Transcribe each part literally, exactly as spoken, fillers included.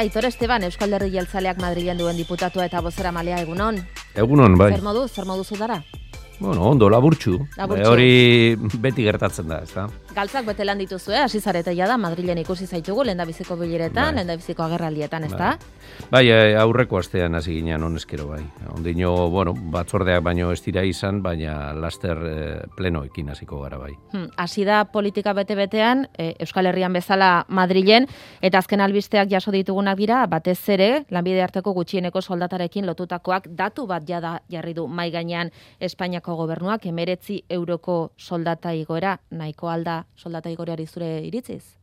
Aitor Esteban, Euskal Alderdi Jeltzaleak Madrilen duen diputatua eta bozeramalea, egunon. Egunon, bai. Zer modu, zer modu zudara? Bueno, ondo, laburtxu. Laburtxu. E, hori beti gertatzen da, ez da? Galtzak bete lan dituzue, hasi zarete ja da, Madrilen ikusi zaitugu, lehendabiziko bileretan, Bai. lehendabiziko agerraldietan, ez da? Bai, aurreko astean hasi ginean honezkero, bai. Ondino, bueno, batzordeak baino ez dira izan, baina laster eh, plenoekin hasiko gara, bai. Hmm, hasi da politika bete-betean, eh, Euskal Herrian bezala Madrilen, eta azken albisteak jaso ditugunak dira, batez ere, lanbide arteko gutxieneko soldatarekin lotutakoak datu bat jada jarri du mai gainean Espainiako gobernuak, emeretzi euroko soldata igoera, nahiko alda soldata igoreari zure iritziz?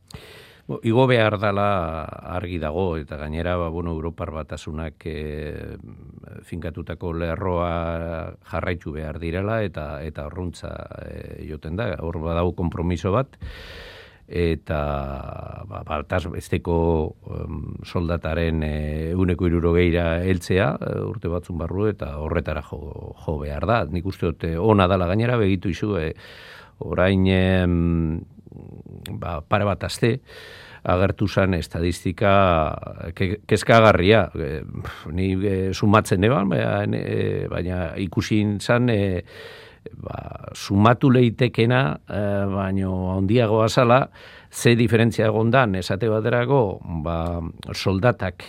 Bo, igo behar dela argi dago, eta gainera, ba, bueno, Europar Batasunak e, finkatutako lerroa jarraitu behar direla, eta eta horruntza e, joten da, hor badago konpromiso bat, eta ba, baltaz besteko um, soldataren ehuneko e, hirurogeira heltzea e, urte batzun barru, eta horretara jo, jo behar da. Nik uste dut ona dala gainera, begitu izu, e, orain e, ba, pare bat aste, agertu zen estadistika ke, kezkagarria. E, ni e, sumatzen eban, baina, e, baina ikusi zen e, ba, sumatu leitekena, e, baino handiagoa zala, ze diferentzia egondan, esate baterako, ba, soldatak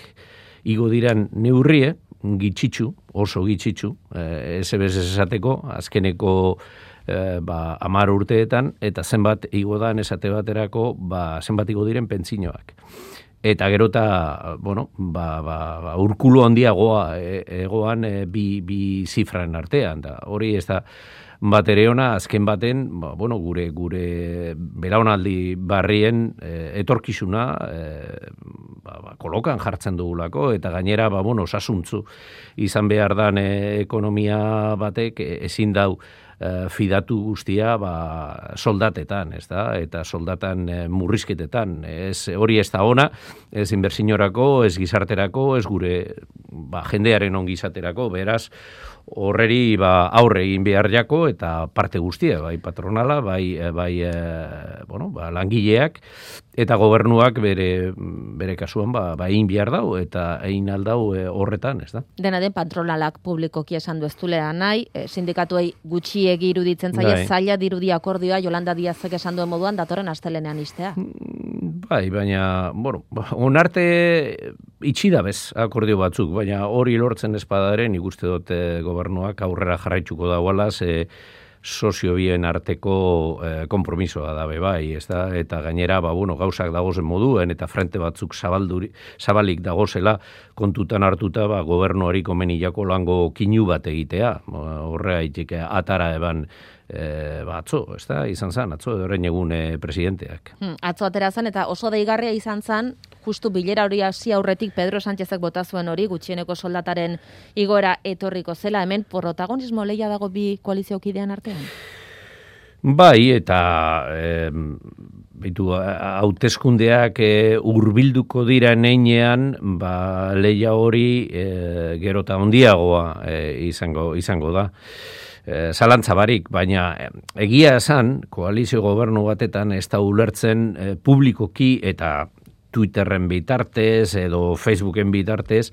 igo diran neurrie, gitxitxu, oso gitxitxu, e, ez ebez esateko, azkeneko E, ba, amar urteetan, eta zenbat igo dan esate baterako, ba, zenbat igo diren pentsinoak. Eta gerota, bueno, ba, ba, ba, urkulu handiagoa e, egoan e, bi, bi zifran artean. Da. Hori ez da bat ere ona, azken baten, ba, bueno, gure gure belaunaldi barrien e, etorkizuna e, ba, ba, kolokan jartzen dugulako, eta gainera, ba, bueno, osasuntzu izan behar dan e, ekonomia batek e, ezin dau fidatu guztia ba, soldatetan, ez da? Eta soldatan e, murrizketetan. Ez, hori ez da ona, ez inbertsiorako, ez gizarterako, ez gure ba, jendearen ongizaterako, beraz, horreri ba, aurre egin behar jako, eta parte guztia, bai patronala, bai, bai e, bueno, ba, langileak, eta gobernuak bere, bere kasuan ba, ba egin behar dau, eta egin aldau e, horretan, ez da? Dena den patronalak publikoki esan du ez dulea nahi, e, sindikatuei gutxiegi iruditzen zaie, Bai. zaila dirudi akordioa Yolanda Díazek esan duen moduan datorren astelenean istea. Bai, baina, bueno, onarte itxi da bez akordio batzuk, baina hori lortzen espadaren ikuste dut e, gobernuak aurrera jarraitzuko dagoela, ze sozio bien arteko eh, kompromisoa dabe bai, ez da? Eta gainera, ba, bueno, gauzak dagozen moduen, eta frente batzuk zabalduri, zabalik dagozela kontutan hartuta, ba, gobernuari komenilako lango kinu bat egitea, horrea itik atara eban e, ba, atzo, ez da? Izan zan, atzo, horrein egun e, presidenteak. Hmm, atzo atera zen, eta oso deigarria izan zan, justu bilera hori hasi aurretik Pedro Sánchezek bota zuen hori, gutxieneko soldataren igoera etorriko zela, hemen protagonismo lehia dago bi koaliziokidean artean? Bai, eta e, bitu, hauteskundeak e, hurbilduko dira neinean, ba, lehia hori e, gerota handiagoa e, izango, izango da. E, zalantza barik, baina egia esan, koalizio gobernu batetan ez da ulertzen e, publikoki eta Twitterren bitartez edo Facebooken bitartez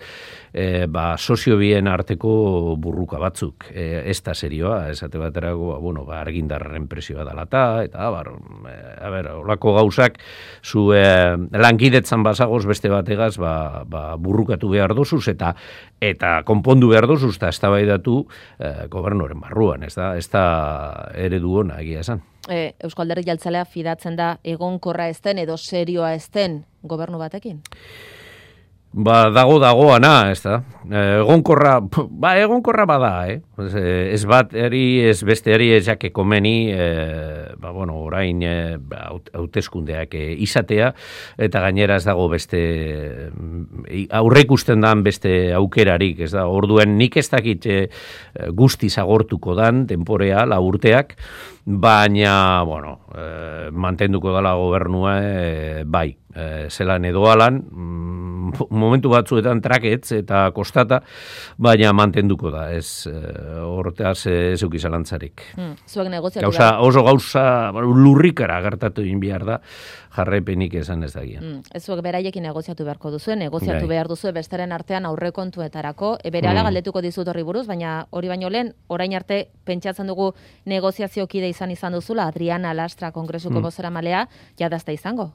e, ba, sozio bien arteko burruka batzuk. E, ez da serioa, esate baterako, bueno, ba, argindarren presioa dalata, eta, bar, e, a ber, olako gauzak, zu e, lankidetzan bazagoz beste bategaz, ba, ba, burrukatu behar dozuz, eta eta konpondu behar dozuz, eta eztabaidatu e, gobernuaren barruan, ez da, ez da eredu ona egia esan. E, Euskal Alderdi Jeltzalea fidatzen da egonkorra ezten edo serioa ezten gobernu batekin? Ba, dago dagoana, ez da. Egonkorra, ba, egonkorra bada, eh? Ez bat eri, ez beste eri ez jake komeni, e, ba, bueno, orain e, hauteskundeak e, izatea, eta gainera ez dago beste, aurre ikusten dan beste aukerarik, ez da. Orduen nik ez dakit e, guzti zagortuko dan, temporea, la urteak, baina, bueno, e, mantenduko dala gobernua, e, bai. e, zelan edo alan, mm, momentu batzuetan traketz eta kostata, baina mantenduko da, ez horretaz ez euki zalantzarik. Hmm, zuek negoziatu gauza, oso gauza lurrikara gertatu egin behar da, jarraipenik esan ez dagia. Mm, ez zuek beraiekin negoziatu beharko duzu, negoziatu Gai. behar duzu besteren artean aurrekontuetarako, e, berehala Mm. galdetuko dizut horri buruz, baina hori baino lehen, orain arte pentsatzen dugu negoziazio kide izan izan duzula, Adriana Lastra Kongresuko Mm. bozeramailea, jadazta izango.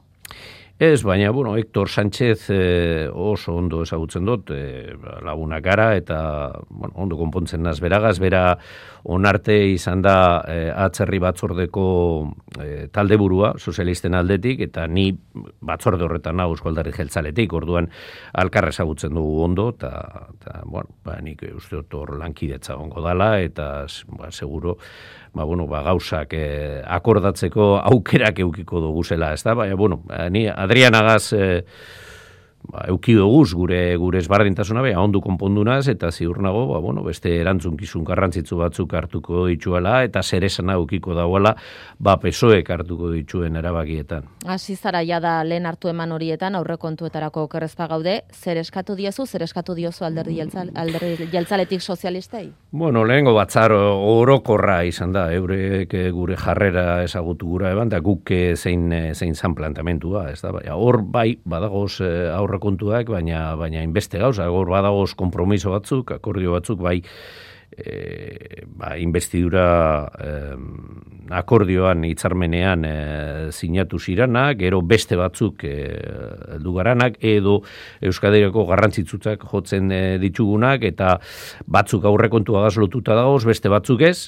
Ez, baina, bueno, Hector Sánchez eh, oso ondo ezagutzen dut, eh, lagunak gara, eta bueno, ondo konpontzen naz beragaz, bera onarte izan da eh, atzerri batzordeko eh, talde burua, sozialisten aldetik, eta ni batzorde horretan hau Eusko Alderdi Jeltzaletik, orduan alkarra ezagutzen dugu ondo, eta, eta bueno, ba, nik uste dut hor lankidetza ongo dala, eta ba, seguro, ba, bueno, ba, gauzak eh, akordatzeko aukerak eukiko dugu zela, ez da? Baina, bueno, ni Adrianagaz eh, ba, euki duguz gure gure ezberdintasuna bea ondo konpondunaz eta ziur nago, ba, bueno, beste erantzunkizun garrantzitsu batzuk hartuko dituela eta zeresana eukiko dagoela, ba P S O Ek hartuko dituen erabakietan. Hasi zara jada lehen hartu eman horietan aurrekontuetarako okerrezpa gaude, zer eskatu diezu, zer eskatu diozu alderdi jeltzal, alderdi jeltzaletik sozialistei? Bueno, lehengo batzar orokorra izan da, eurek gure jarrera ezagutu gura eban, da guk zein zein zan plantamentua, ez da, baina hor bai badagoz aurrekontuak, baina baina inbeste gauza, hor badagoz konpromiso batzuk, akordio batzuk, bai E, ba, investidura eh, akordioan hitzarmenean eh, sinatu ziranak, gero beste batzuk eh, dugaranak, edo Euskadirako garrantzitsutzak jotzen eh, ditugunak, eta batzuk aurrekontua gaz lotuta dagoz, beste batzuk ez,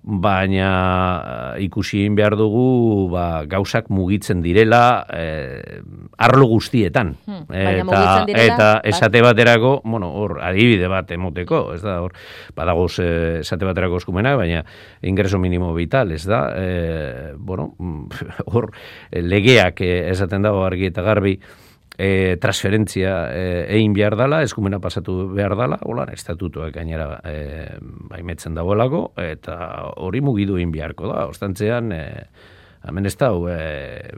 baina ikusi egin behar dugu ba, gauzak mugitzen direla eh, arlo guztietan. Hmm, eta, direla, eta esate baterako, bueno, hor, adibide bat emoteko, ez da, hor, badagoz eh, esate baterako eskumenak, baina ingreso minimo vital, ez da, eh, bueno, hor, legeak eh, esaten dago argi eta garbi, E, transferentzia e, egin behar dala, eskumena pasatu behar dala, hola, estatutuak gainera e, baimetzen dagoelako, eta hori mugidu egin beharko da, ostantzean, e, hemen ez da, e,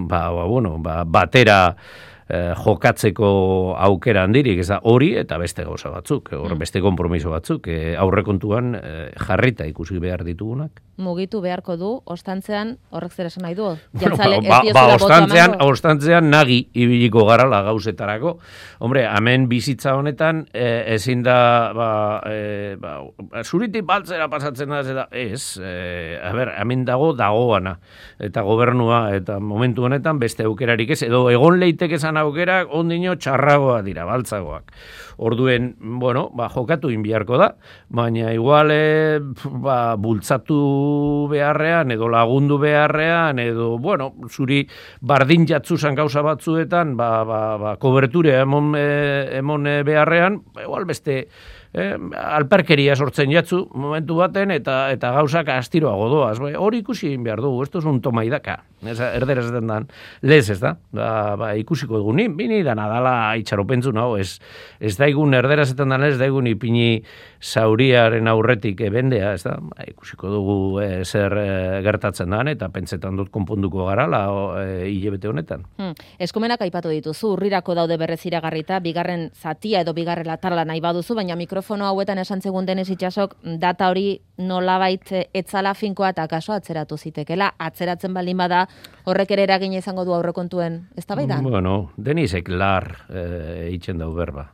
ba, ba, bueno, ba, batera e, jokatzeko aukera handirik, ez da, hori eta beste gauza batzuk, hor beste konpromiso batzuk, e, aurrekontuan e, jarrita ikusi behar ditugunak. Mugitu beharko du, ostantzean, horrek zer esan nahi du? Bueno, ba, ba, ostantzean, ostantzean nagi ibiliko garala gauzetarako. Hombre, hemen bizitza honetan, eh, ezin da, ba, eh, ba, zuritik baltzera pasatzen da, eta ez, eh, a ber, hemen dago dagoana, eta gobernua, eta momentu honetan beste aukerarik ez, edo egon leitek esan aukerak, ondino txarragoa dira, baltzagoak. Orduen, bueno, ba, jokatu inbiarko da, baina igual, eh, ba, bultzatu beharrean, edo lagundu beharrean, edo, bueno, zuri bardin jatzuzan gauza batzuetan, ba, ba, ba, koberture emon, e, emon beharrean, igual beste eh, alperkeria sortzen jatzu momentu baten, eta eta gauzak astiroago doaz. Hori ikusi egin behar dugu, esto es un toma idaka. Erderaz ezen dan, lez ez da, ba, ba, ikusiko dugu, ni, bini da nadala itxaropentzu nago, ez, ez daigun erderaz ezen dan, ez daigun ipini zauriaren aurretik bendea, ez da, ba, ikusiko dugu e, zer e, gertatzen dan, eta pentsetan dut konponduko garala e, hilebete honetan. Hmm. Eskumenak aipatu dituzu, urrirako daude berrez iragarrita, bigarren zatia edo bigarren latarla nahi baduzu, baina mikrofono hauetan esan zegun Denis Itsasok, data hori nolabait etzala finkoa eta kaso atzeratu zitekela, atzeratzen baldin bada, horrek ere eragin izango du aurrekontuen, ez da baidan? Bueno, Denisek lar e, eitzen dau berba.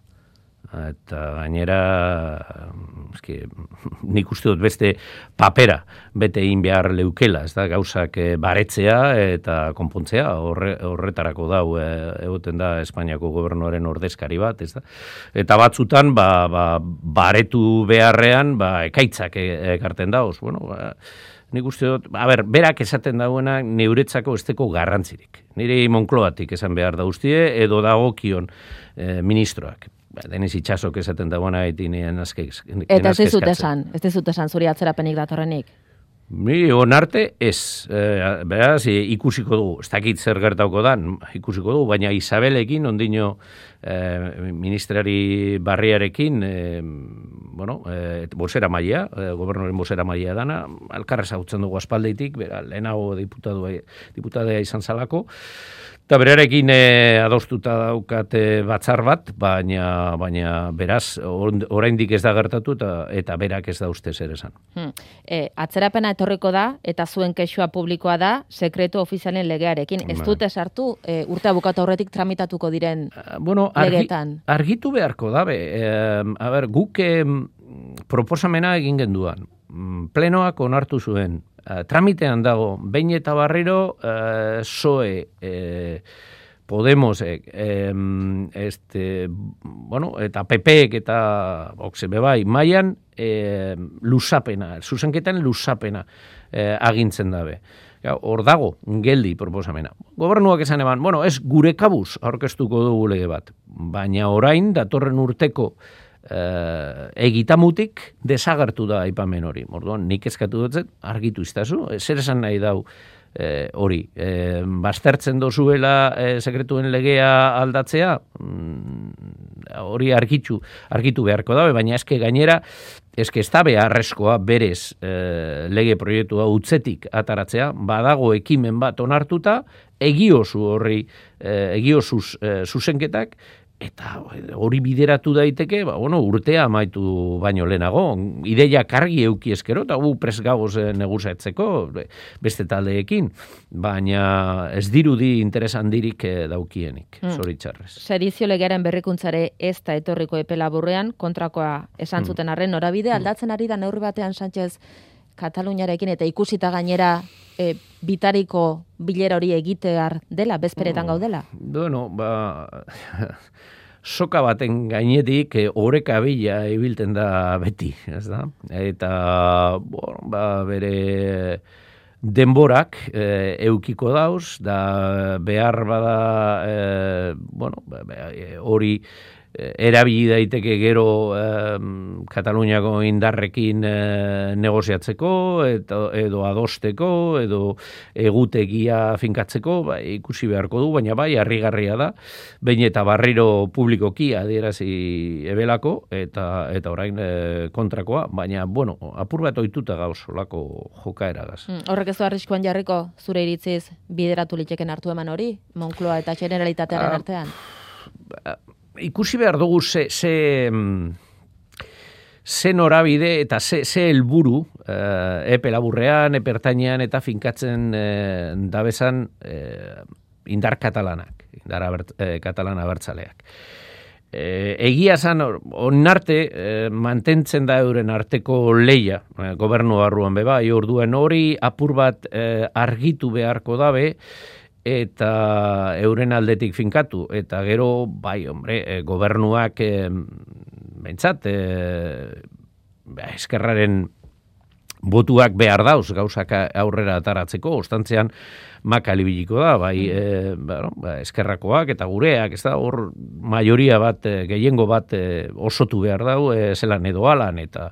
Eta gainera, eski, nik uste dut beste papera bete egin behar leukela, ez da, gauzak baretzea eta konpontzea, horre, horretarako dau e, egoten da Espainiako gobernuaren ordezkari bat, ez da. Eta batzutan, ba, ba, baretu beharrean, ba, ekaitzak ekarten dauz, bueno, ba, nik uste dut, a ber, berak esaten dauena neuretzako esteko garrantzirik. Nire Moncloatik esan behar dauztie, edo dagokion e, ministroak. Denis Itsasok esaten dagoena etinen azke. Eta ez dizut esan, ez dizut esan zuri atzerapenik datorrenik. Mi onarte ez, e, beraz, ikusiko dugu, ez dakit zer gertauko dan, ikusiko dugu, baina Isabelekin, ondino e, ministrari barriarekin, e, bueno, e, bosera maia, e, gobernoren bosera maia dana, alkarrez hautzen dugu aspaldeitik, bera, lehenago diputadua, diputadea izan zalako, Eta berarekin e, adostuta daukate batzar bat, baina baina beraz oraindik ez da gertatu eta eta berak ez da uste zer esan. Hmm. E, atzerapena etorriko da eta zuen kexua publikoa da sekretu ofizialen legearekin. Ez dute sartu e, urte bukatu aurretik tramitatuko diren uh, bueno, argi, legeetan. Argitu beharko da be. E, a ber, guk e, proposamena egin genduan. Plenoak onartu zuen. Uh, tramitean dago, behin eta barriro uh, P S O E, eh, Podemosek, eh, este, bueno, eta P Pek eta Vox bai, mailan eh, lusapena, zuzenketan lusapena eh, agintzen dabe. Hor dago, geldi proposamena. Gobernuak esan eban, bueno, ez gure kabuz aurkeztuko dugu lege bat, baina orain datorren urteko Uh, egitamutik desagertu da aipamen hori. Orduan, nik eskatu dut argitu iztazu, zer esan nahi dau eh, hori. Eh, baztertzen dozuela eh, sekretuen legea aldatzea, mm, hori argitu, argitu beharko dabe, baina eske gainera, eske ez da beharrezkoa berez eh, lege proiektua utzetik ataratzea, badago ekimen bat onartuta, egiozu horri, eh, egiozuz eh, zuzenketak, eta hori bideratu daiteke, ba, bueno, urtea amaitu baino lehenago, ideia kargi euki eskero, eta gu pres gagoz neguzatzeko beste taldeekin, baina ez dirudi interesan dirik daukienik, mm. zoritxarrez. Sedizio legearen berrikuntzare ez da etorriko epe laburrean, kontrakoa esan zuten arren, norabide aldatzen ari da neurri batean Sánchez Kataluniarekin eta ikusita gainera e, bitariko bilera hori egitear dela, bezperetan gaudela? Bueno, ba... soka baten gainetik oreka bila ibilten da beti, ez da? Eta, bueno, ba, bere denborak e, eukiko dauz, da behar bada, e, bueno, hori erabili daiteke gero eh, Kataluniako indarrekin eh, negoziatzeko edo, edo adosteko edo egutegia finkatzeko, ba, ikusi beharko du, baina bai harrigarria da, behin eta barriro publikoki adierazi ebelako eta eta orain eh, kontrakoa, baina bueno, apur bat ohituta gauz olako jokaeragaz. Mm, horrek ez du arriskuan jarriko zure iritziz bideratu liteken hartu eman hori, Moncloa eta Generalitatearen ah, artean? Ba, ikusi behar dugu ze, ze, ze norabide eta ze, ze helburu eh, epe laburrean, epe ertainean eta finkatzen eh, dabezan eh, indar katalanak, indar abert, eh, katalana abertzaleak. Eh, egia zan, onarte eh, mantentzen da euren arteko leia, eh, gobernu barruan beba, orduen hori apur bat eh, argitu beharko dabe, eta euren aldetik finkatu, eta gero, bai, hombre, e, gobernuak, e, bentsat, e, eskerraren botuak behar dauz, gauzak aurrera ataratzeko, ostantzean makalibiliko da, bai, e, bueno, ba, eskerrakoak eta gureak, ez da, hor majoria bat, e, gehiengo bat e, osotu behar dau, e, zelan edo alan, eta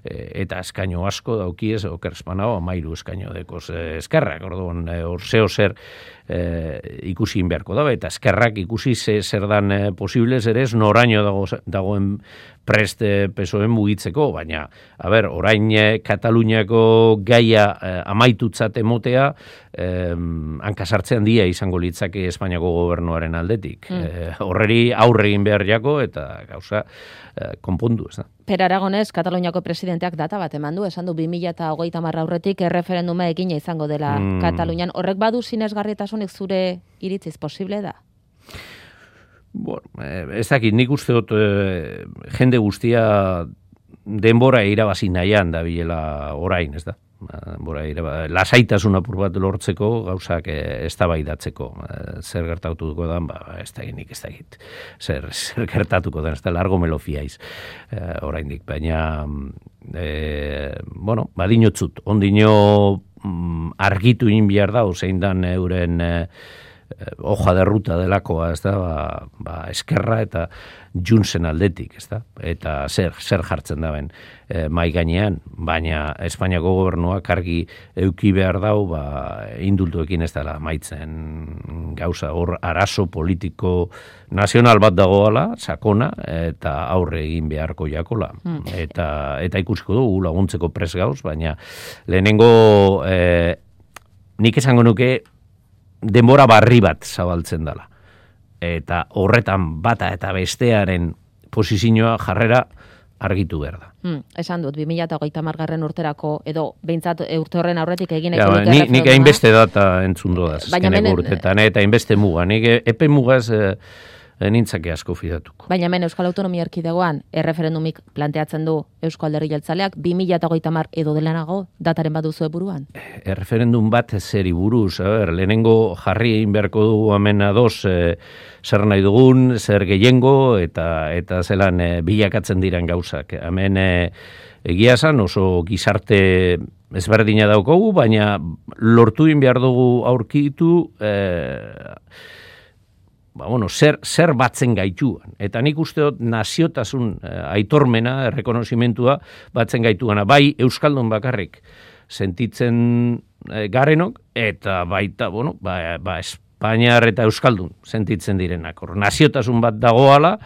e, eta eskaino asko daukiez, okerspanao, amairu eskaino dekoz e, eskerrak, orduan, e, hor zeo zer e, ikusi beharko da, eta eskerrak ikusi ze, zer dan e, posible zer ez, noraino dago, dagoen prest e, pesoen mugitzeko, baina, a ber, orain e, Kataluniako gaia e, amaitutzat emotea, e, hankasartzean dia izango litzake Espainiako gobernuaren aldetik. Mm. E, horreri aurre egin behar jako eta gauza e, konpondu, ez da. Per Aragonez, Kataluniako presidenteak data bat eman du, esan du bi mila hogeita hamar aurretik erreferenduma egina izango dela mm. Katalunian. Horrek badu sinesgarritasunik zure iritziz posible da? Bueno, ez dakit, nik uste dut e, jende guztia denbora irabazi nahian da bilela orain, ez da. Bora, lasaitasun apur bat lortzeko gauzak eztabaidatzeko zer gertatuko da, ba, ez da nik ez da egit zer, zer gertatuko da, ez da largo melofiaiz e, oraindik, baina e, bueno, badinotzut ondino mm, argitu in behar da, zein dan euren e, hoja de ruta delakoa, ez da, ba, ba, eskerra eta Junsen aldetik, ez da, eta zer, zer jartzen daben e, mai gainean, baina Espainiako gobernuak argi euki behar dau, ba, indultuekin ez dela maitzen gauza, hor arazo politiko nazional bat dagoala, sakona, eta aurre egin beharko jakola, mm. eta, eta ikusiko dugu laguntzeko pres gauz, baina lehenengo e, nik esango nuke denbora barri bat zabaltzen dela. Eta horretan bata eta bestearen posizioa jarrera argitu behar da. Hmm, esan dut, bi mila hogeita hamargarren urterako, edo behintzat urte horren aurretik egin ja, eko ni, nik hainbeste data entzundo da, azkeneko urtetan, eta hainbeste muga. Nik epe mugaz eh, nintzake asko fidatuko. Baina hemen Euskal Autonomia Erkidegoan erreferendumik planteatzen du Eusko Alderdi Jeltzaleak bi mila hogeita hamar edo delanago dataren baduzu buruan? Erreferendum bat zeri buruz, ber, lehenengo jarri egin beharko dugu hemen ados eh, zer nahi dugun, zer gehiengo, eta eta zelan eh, bilakatzen diren gauzak. Hemen eh, egia esan oso gizarte ezberdina daukogu, baina lortu egin behar dugu aurkitu eh, ba, bueno, zer, zer batzen gaituan. Eta nik uste dut naziotasun eh, aitormena, errekonozimentua batzen gaituana. Bai, Euskaldun bakarrik sentitzen eh, garenok, eta baita, bueno, ba, ba, Espainiar eta Euskaldun sentitzen direnak. Hor, naziotasun bat dagoala,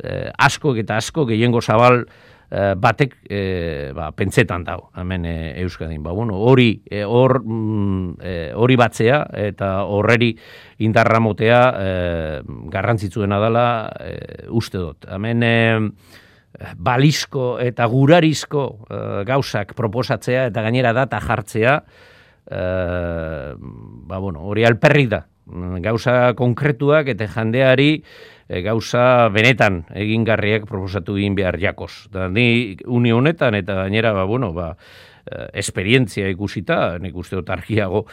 eh, asko eta asko gehiengo zabal eh, batek eh, ba, pentsetan dago, hemen eh, Euskadin. Ba, bueno, hori eh, hor, mm, eh, hori batzea eta horreri indarra motea eh, garrantzitsuena dela eh, uste dut. Hemen eh, balizko eta gurarizko eh, gauzak proposatzea eta gainera data jartzea, eh, ba, bueno, hori alperrik da. Gauza konkretuak eta jendeari e, gauza benetan egingarriak proposatu egin behar jakoz. Da, ni uni honetan eta gainera ba, bueno, ba, e, esperientzia ikusita, nik uste dut argiago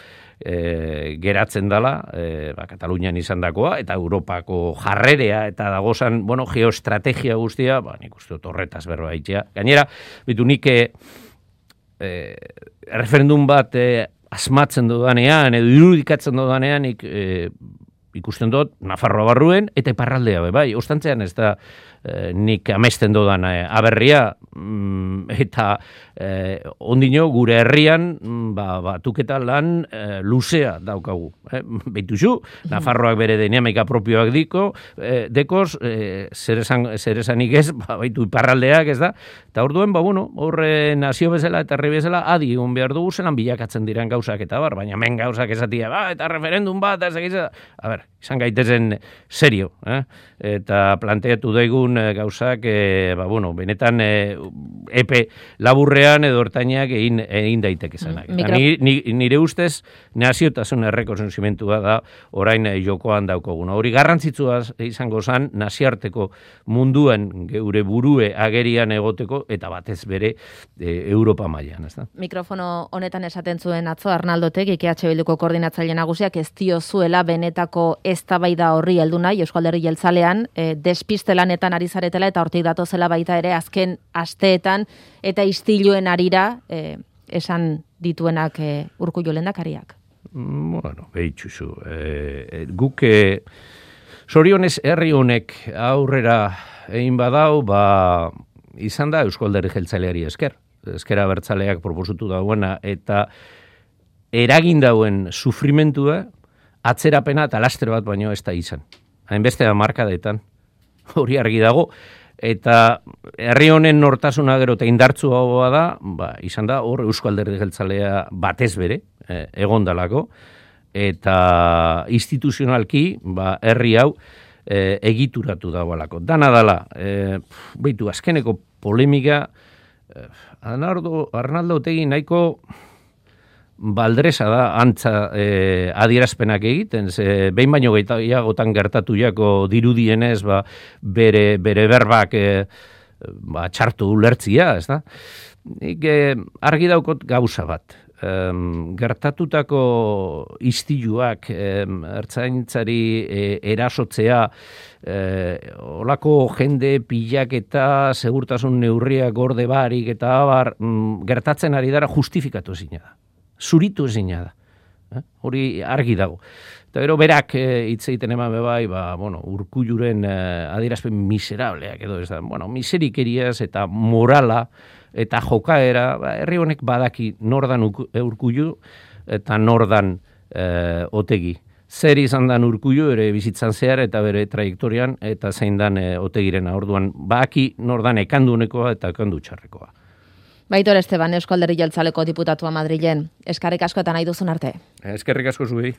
e, geratzen dela, e, ba, Katalunian izan dakoa, eta Europako jarrerea eta dagozan, bueno, geoestrategia guztia, ba, nik uste dut horretaz berba itxea. Gainera, bitu nik e, e, referendum bat e, asmatzen dudanean, edo irudikatzen dudanean, ik, e, ikusten dut, Nafarroa barruen, eta iparraldea, bai, ostantzean ez da e, nik amesten dudan e, aberria, mm, eta e, ondino gure herrian, ba, batuketa lan e, luzea daukagu. Eh? Beituzu, Nafarroak bere dinamika propioak diko, e, dekoz, e, zer esanik ez, ba, baitu iparraldeak ez da, eta orduen, ba, bueno, horre nazio bezala eta herri bezala, adi egon behar dugu zelan bilakatzen diren gauzak eta bar, baina men gauzak esatia, ba, eta referendum bat, ez egiz, a ber, izan gaitezen serio, eh? Eta planteatu daigun e, gauzak, e, ba, bueno, benetan e, epe laburrean edo ertainak egin, egin daiteke zenak. Mm, ni, ni, nire ustez, naziotasun errekonozimentua da orain e, jokoan daukoguna. Hori garrantzitsua izango zen naziarteko munduen geure burue agerian egoteko eta batez bere e, Europa mailan, ez da? Mikrofono honetan esaten zuen atzo Arnaldotek, I K H Bilduko koordinatzaile nagusiak ez diozuela benetako eztabaida horri heldu nahi Eusko Alderdi Jeltzalean, e, despiste lanetan ari zaretela eta hortik datozela baita ere azken asteetan eta istiluen arira e, esan dituenak e, Urkullu lehendakariak. Bueno, behitxuzu. E, guk e, sorionez herri honek aurrera egin badau, ba, izan da Eusko Alderdi Jeltzaleari esker. Ezkera Abertzaleak proposutu dauena eta eragin dauen sufrimentua atzerapena eta laster bat baino ez da izan. Hainbeste da markadetan, hori argi dago, eta herri honen nortasuna gero eta indartzu hau da, ba, izan da hor Eusko Alderdi Jeltzalea batez bere, eh, egondalako, eta instituzionalki ba, herri hau eh, egituratu dagoelako. Dana dala, eh, beitu, azkeneko polemika, eh, Arnaldo, Arnaldo Otegi nahiko baldresa da antza eh, adierazpenak egiten, ze behin baino gehiagotan gertatu jako dirudienez ba, bere, bere berbak eh, ba, txartu ulertzia, ez da? Nik eh, argi daukot gauza bat. Um, gertatutako istiluak um, ertzaintzari e, erasotzea e, olako jende pilak eta segurtasun neurriak gorde barik eta abar um, gertatzen ari dara justifikatu ezina da. Zuritu ezina da. Eh? Hori argi dago. Eta gero berak hitz e, egiten eman bebai, ba, bueno, Urkulluren e, adierazpen miserableak edo ez da, bueno, miserikeriaz eta morala eta jokaera, ba, herri honek badaki nordan Urkullu eta nordan e, Otegi. Zer izan dan Urkullu ere bizitzan zehar eta bere trajektorian eta zein dan e, Otegiren orduan baki nordan ekandunekoa eta ekandu txarrekoa. Baitor Esteban, Eusko Alderdi Jeltzaleko diputatua Madrilen. Eskerrik asko eta nahi duzun arte. Eskerrik asko zuei.